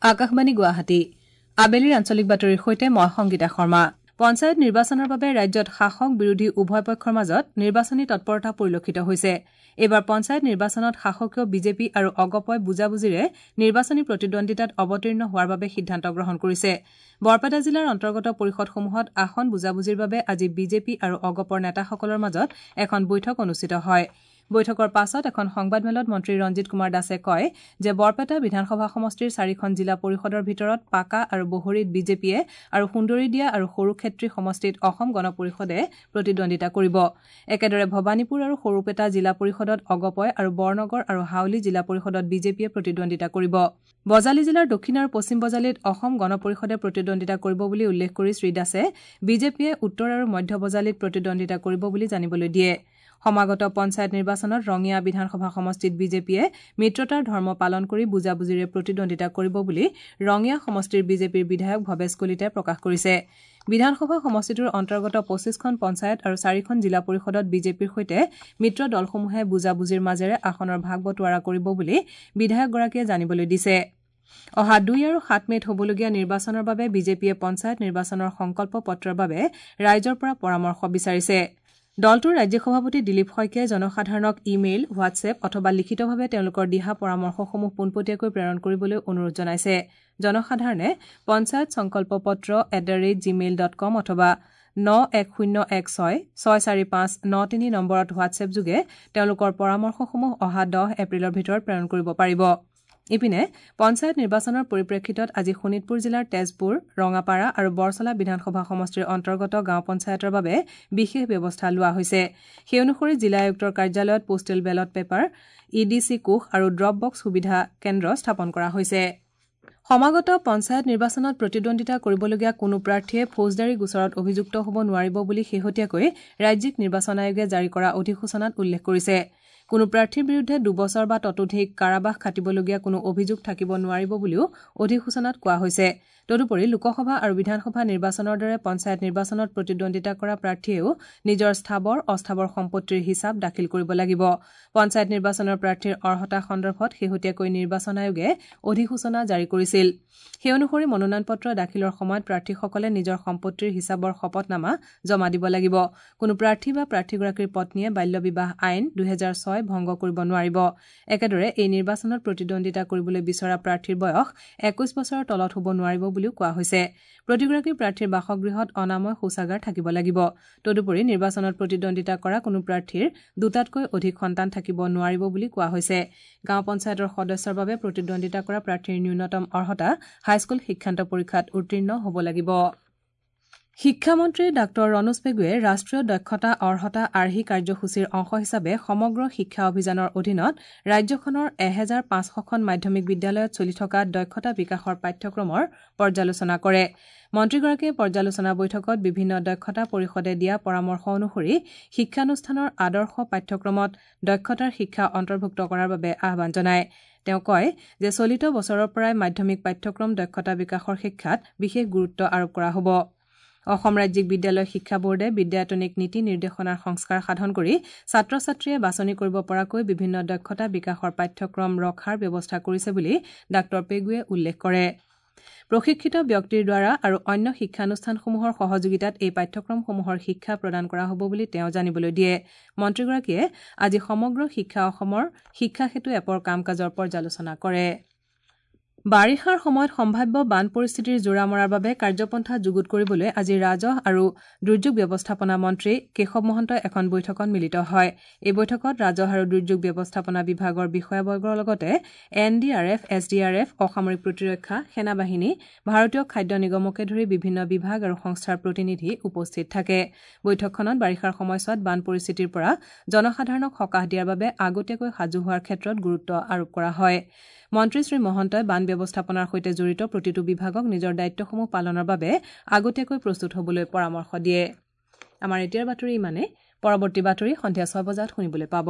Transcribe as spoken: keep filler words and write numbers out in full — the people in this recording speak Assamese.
আকাশবাণী গুৱাহাটী আবেলিৰ আঞ্চলিক বাতৰিৰ সৈতে মই সংগীতা শৰ্মা। পঞ্চায়ত নিৰ্বাচনৰ বাবে ৰাজ্যত শাসক বিৰোধী উভয় পক্ষৰ মাজত নিৰ্বাচনী তৎপৰতা পৰিলক্ষিত হৈছে। এইবাৰ পঞ্চায়ত নিৰ্বাচনত শাসকীয় বিজেপি আৰু অগপই বুজাবুজিৰে নিৰ্বাচনী প্ৰতিদ্বন্দ্বিতাত অৱতীৰ্ণ হোৱাৰ বাবে সিদ্ধান্ত গ্ৰহণ কৰিছে। বৰপেটা জিলাৰ অন্তৰ্গত পৰিষদসমূহত আসন বুজাবুজিৰ বাবে আজি বিজেপি আৰু অগপৰ নেতাসকলৰ মাজত এখন বৈঠক অনুষ্ঠিত হয়। বৈঠকৰ পাছত এখন সংবাদমেলত মন্ত্ৰী ৰঞ্জিত কুমাৰ দাসে কয় যে বৰপেটা বিধানসভা সমষ্টিৰ চাৰিখন জিলা পৰিষদৰ ভিতৰত পাকা আৰু বহৰিত বিজেপিয়ে আৰু সুন্দৰীদিয়া আৰু সৰুক্ষেত্ৰী সমষ্টিত অসম গণ পৰিষদে প্ৰতিদ্বন্দ্বিতা কৰিব। একেদৰে ভৱানীপুৰ আৰু সৰুপেটা জিলা পৰিষদত অগপই আৰু বৰনগৰ আৰু হাউলী জিলা পৰিষদত বিজেপিয়ে প্ৰতিদ্বন্দ্বিতা কৰিব। বজালী জিলাৰ দক্ষিণ আৰু পশ্চিম বজালীত অসম গণ পৰিষদে প্ৰতিদ্বন্দ্বিতা কৰিব বুলি উল্লেখ কৰি শ্ৰীদাসে বিজেপিয়ে উত্তৰ আৰু মধ্য বজালীত প্ৰতিদ্বন্দ্বিতা কৰিব বুলি জানিবলৈ দিয়ে। সমাগত পঞ্চায়ত নিৰ্বাচনত ৰঙিয়া বিধানসভা সমষ্টিত বিজেপিয়ে মিত্ৰতাৰ ধৰ্ম পালন কৰি বুজাবুজিৰে প্ৰতিদ্বন্দ্বিতা কৰিব বুলি ৰঙিয়া সমষ্টিৰ বিজেপিৰ বিধায়ক ভৱেশ কলিতাই প্ৰকাশ কৰিছে। বিধানসভা সমষ্টিটোৰ অন্তৰ্গত পঁচিছখন পঞ্চায়ত আৰু চাৰিখন জিলা পৰিষদত বিজেপিৰ সৈতে মিত্ৰ দলসমূহে বুজাবুজিৰ মাজেৰে আসনৰ ভাগ বটোৱাৰা কৰিব বুলি বিধায়কগৰাকীয়ে জানিবলৈ দিছে। অহা দুই আৰু সাত মে'ত হ'বলগীয়া নিৰ্বাচনৰ বাবে বিজেপিয়ে পঞ্চায়ত নিৰ্বাচনৰ সংকল্প পত্ৰৰ বাবে ৰাইজৰ পৰা পৰামৰ্শ বিচাৰিছে। দলটোৰ ৰাজ্যিক সভাপতি দিলীপ শইকীয়াই জনসাধাৰণক ইমেইল, হোৱাটছএপ অথবা লিখিতভাৱে তেওঁলোকৰ দিহা পৰামৰ্শসমূহ পোনপটীয়াকৈ প্ৰেৰণ কৰিবলৈ অনুৰোধ জনাইছে। জনসাধাৰণে পঞ্চায়ত সংকল্প পত্ৰ at the rate Gmail dot com অথবা ন এক শূন্য এক ছয় ছয় চাৰি পাঁচ ন তিনি নম্বৰত হোৱাটছএপযোগে তেওঁলোকৰ পৰামৰ্শসমূহ অহা দহ এপ্ৰিলৰ ভিতৰত প্ৰেৰণ কৰিব পাৰিব। ইপিনে পঞ্চায়ত নিৰ্বাচনৰ পৰিপ্ৰেক্ষিতত আজি শোণিতপুৰ জিলাৰ তেজপুৰ, ৰঙাপাৰা আৰু বৰচলা বিধানসভা সমষ্টিৰ অন্তৰ্গত গাঁও পঞ্চায়তৰ বাবে বিশেষ ব্যৱস্থা লোৱা হৈছে। সেই অনুসৰি জিলা আয়ুক্তৰ কাৰ্যালয়ত postal ballot paper, E D C কোষ আৰু ড্ৰপ বক্স সুবিধা কেন্দ্ৰ স্থাপন কৰা হৈছে। সমাগত পঞ্চায়ত নিৰ্বাচনত প্ৰতিদ্বন্দ্বিতা কৰিবলগীয়া কোনো প্ৰাৰ্থীয়ে ফৌজদাৰী গোচৰত অভিযুক্ত হ'ব নোৱাৰিব বুলি শেহতীয়াকৈ ৰাজ্যিক নিৰ্বাচন আয়োগে জাৰি কৰা অধিসূচনাত উল্লেখ কৰিছে। কোনো প্ৰাৰ্থীৰ বিৰুদ্ধে দুবছৰ বা ততোধিক কাৰাবাস খাটিবলগীয়া কোনো অভিযোগ থাকিব নোৱাৰিব বুলিও অধিসূচনাত কোৱা হৈছে। তদুপৰি লোকসভা আৰু বিধানসভা নিৰ্বাচনৰ দৰে পঞ্চায়ত নিৰ্বাচনত প্ৰতিদ্বন্দ্বিতা কৰা প্ৰাৰ্থীয়েও নিজৰ স্থাৱৰ অস্থাৱৰ সম্পত্তিৰ হিচাপ দাখিল কৰিব লাগিব। পঞ্চায়ত নিৰ্বাচনৰ প্ৰাৰ্থীৰ অৰ্হতা সন্দৰ্ভত শেহতীয়াকৈ নিৰ্বাচন আয়োগে অধিসূচনা জাৰি কৰিছিল। সেই অনুসৰি মনোনয়ন পত্ৰ দাখিলৰ সময়ত প্ৰাৰ্থীসকলে নিজৰ সম্পত্তিৰ হিচাপৰ শপতনামা জমা দিব লাগিব। কোনো প্ৰাৰ্থী বা প্ৰাৰ্থীগৰাকীৰ পত্নীয়ে বাল্য বিবাহ আইন দুহেজাৰ ছয় ভংগ কৰিব নোৱাৰিব। একেদৰে এই নিৰ্বাচনত প্ৰতিদ্বন্দ্বিতা কৰিবলৈ বিচৰা প্ৰাৰ্থীৰ বয়স একৈশ বছৰৰ তলত হ'ব নোৱাৰিব বুলিও কোৱা হৈছে। প্ৰতিগৰাকী প্ৰাৰ্থীৰ বাসগৃহত অনাময় শৌচাগাৰ থাকিব লাগিব। তদুপৰি নিৰ্বাচনত প্ৰতিদ্বন্দ্বিতা কৰা কোনো প্ৰাৰ্থীৰ দুটাতকৈ অধিক সন্তান থাকিব নোৱাৰিব বুলি কোৱা হৈছে। গাঁও পঞ্চায়তৰ সদস্যৰ বাবে প্ৰতিদ্বন্দ্বিতা কৰা প্ৰাৰ্থীৰ ন্যূনতম অৰ্হতা হাইস্কুল শিক্ষান্ত পৰীক্ষাত উত্তীৰ্ণ হ'ব লাগিব। শিক্ষামন্ত্ৰী ডাঃ ৰণোজ পেগুৱে ৰাষ্ট্ৰীয় দক্ষতা অৰ্হতা আৰ্হি কাৰ্যসূচীৰ অংশ হিচাপে সমগ্ৰ শিক্ষা অভিযানৰ অধীনত ৰাজ্যখনৰ এহেজাৰ পাঁচশখন মাধ্যমিক বিদ্যালয়ত চলি থকা দক্ষতা বিকাশৰ পাঠ্যক্ৰমৰ পৰ্যালোচনা কৰে। মন্ত্ৰীগৰাকীয়ে পৰ্যালোচনা বৈঠকত বিভিন্ন দক্ষতা পৰিষদে দিয়া পৰামৰ্শ অনুসৰি শিক্ষানুষ্ঠানৰ আদৰ্শ পাঠ্যক্ৰমত দক্ষতাৰ শিক্ষা অন্তৰ্ভুক্ত কৰাৰ বাবে আহ্বান জনায়। তেওঁ কয় যে চলিত বছৰৰ পৰাই মাধ্যমিক পাঠ্যক্ৰম দক্ষতা বিকাশৰ শিক্ষাত বিশেষ গুৰুত্ব আৰোপ কৰা হ'ব। অসম ৰাজ্যিক বিদ্যালয় শিক্ষা বোৰ্ডে বিদ্যায়তনিক নীতি নিৰ্দেশনাৰ সংস্কাৰ সাধন কৰি ছাত্ৰ ছাত্ৰীয়ে বাছনি কৰিব পৰাকৈ বিভিন্ন দক্ষতা বিকাশৰ পাঠ্যক্ৰম ৰখাৰ ব্যৱস্থা কৰিছে বুলি ডাঃ পেগুৱে উল্লেখ কৰে। প্ৰশিক্ষিত ব্যক্তিৰ দ্বাৰা আৰু অন্য শিক্ষানুষ্ঠানসমূহৰ সহযোগিতাত এই পাঠ্যক্ৰমসমূহৰ শিক্ষা প্ৰদান কৰা হ'ব বুলি তেওঁ জানিবলৈ দিয়ে। মন্ত্ৰীগৰাকীয়ে আজি সমগ্ৰ শিক্ষা অসমৰ শিক্ষা সেতু এপৰ কাম কাজৰ পৰ্যালোচনা কৰে। বাৰিষাৰ সময়ত সম্ভাৱ্য বান পৰিস্থিতিৰ জোৰা মৰাৰ বাবে কাৰ্যপন্থা যুগুত কৰিবলৈ আজি ৰাজহ আৰু দুৰ্যোগ ব্যৱস্থাপনা মন্ত্ৰী কেশৱ মহন্তই এখন বৈঠকত মিলিত হয়। এই বৈঠকত ৰাজহ আৰু দুৰ্যোগ ব্যৱস্থাপনা বিভাগৰ বিষয়াবৰ্গৰ লগতে N D R F, S D R F, অসামৰিক প্ৰতিৰক্ষা, সেনাবাহিনী, ভাৰতীয় খাদ্য নিগমকে ধৰি বিভিন্ন বিভাগ আৰু সংস্থাৰ প্ৰতিনিধি উপস্থিত থাকে। বৈঠকখনত বাৰিষাৰ সময়ছোৱাত বান পৰিস্থিতিৰ পৰা জনসাধাৰণক সকাহ দিয়াৰ বাবে আগতীয়াকৈ সাজু হোৱাৰ ক্ষেত্ৰত গুৰুত্ব আৰোপ কৰা হয়। মন্ত্ৰী শ্ৰী মহন্তই বান ব্যৱস্থাপনাৰ সৈতে জড়িত প্ৰতিটো বিভাগক নিজৰ দায়িত্বসমূহ পালনৰ বাবে আগতীয়াকৈ প্ৰস্তুত হ'বলৈ পৰামৰ্শ দিয়ে। আমাৰ এতিয়াৰ বাতৰি ইমানেই। পৰৱৰ্তী বাতৰি সন্ধিয়া ছয় বজাত শুনিবলৈ পাব।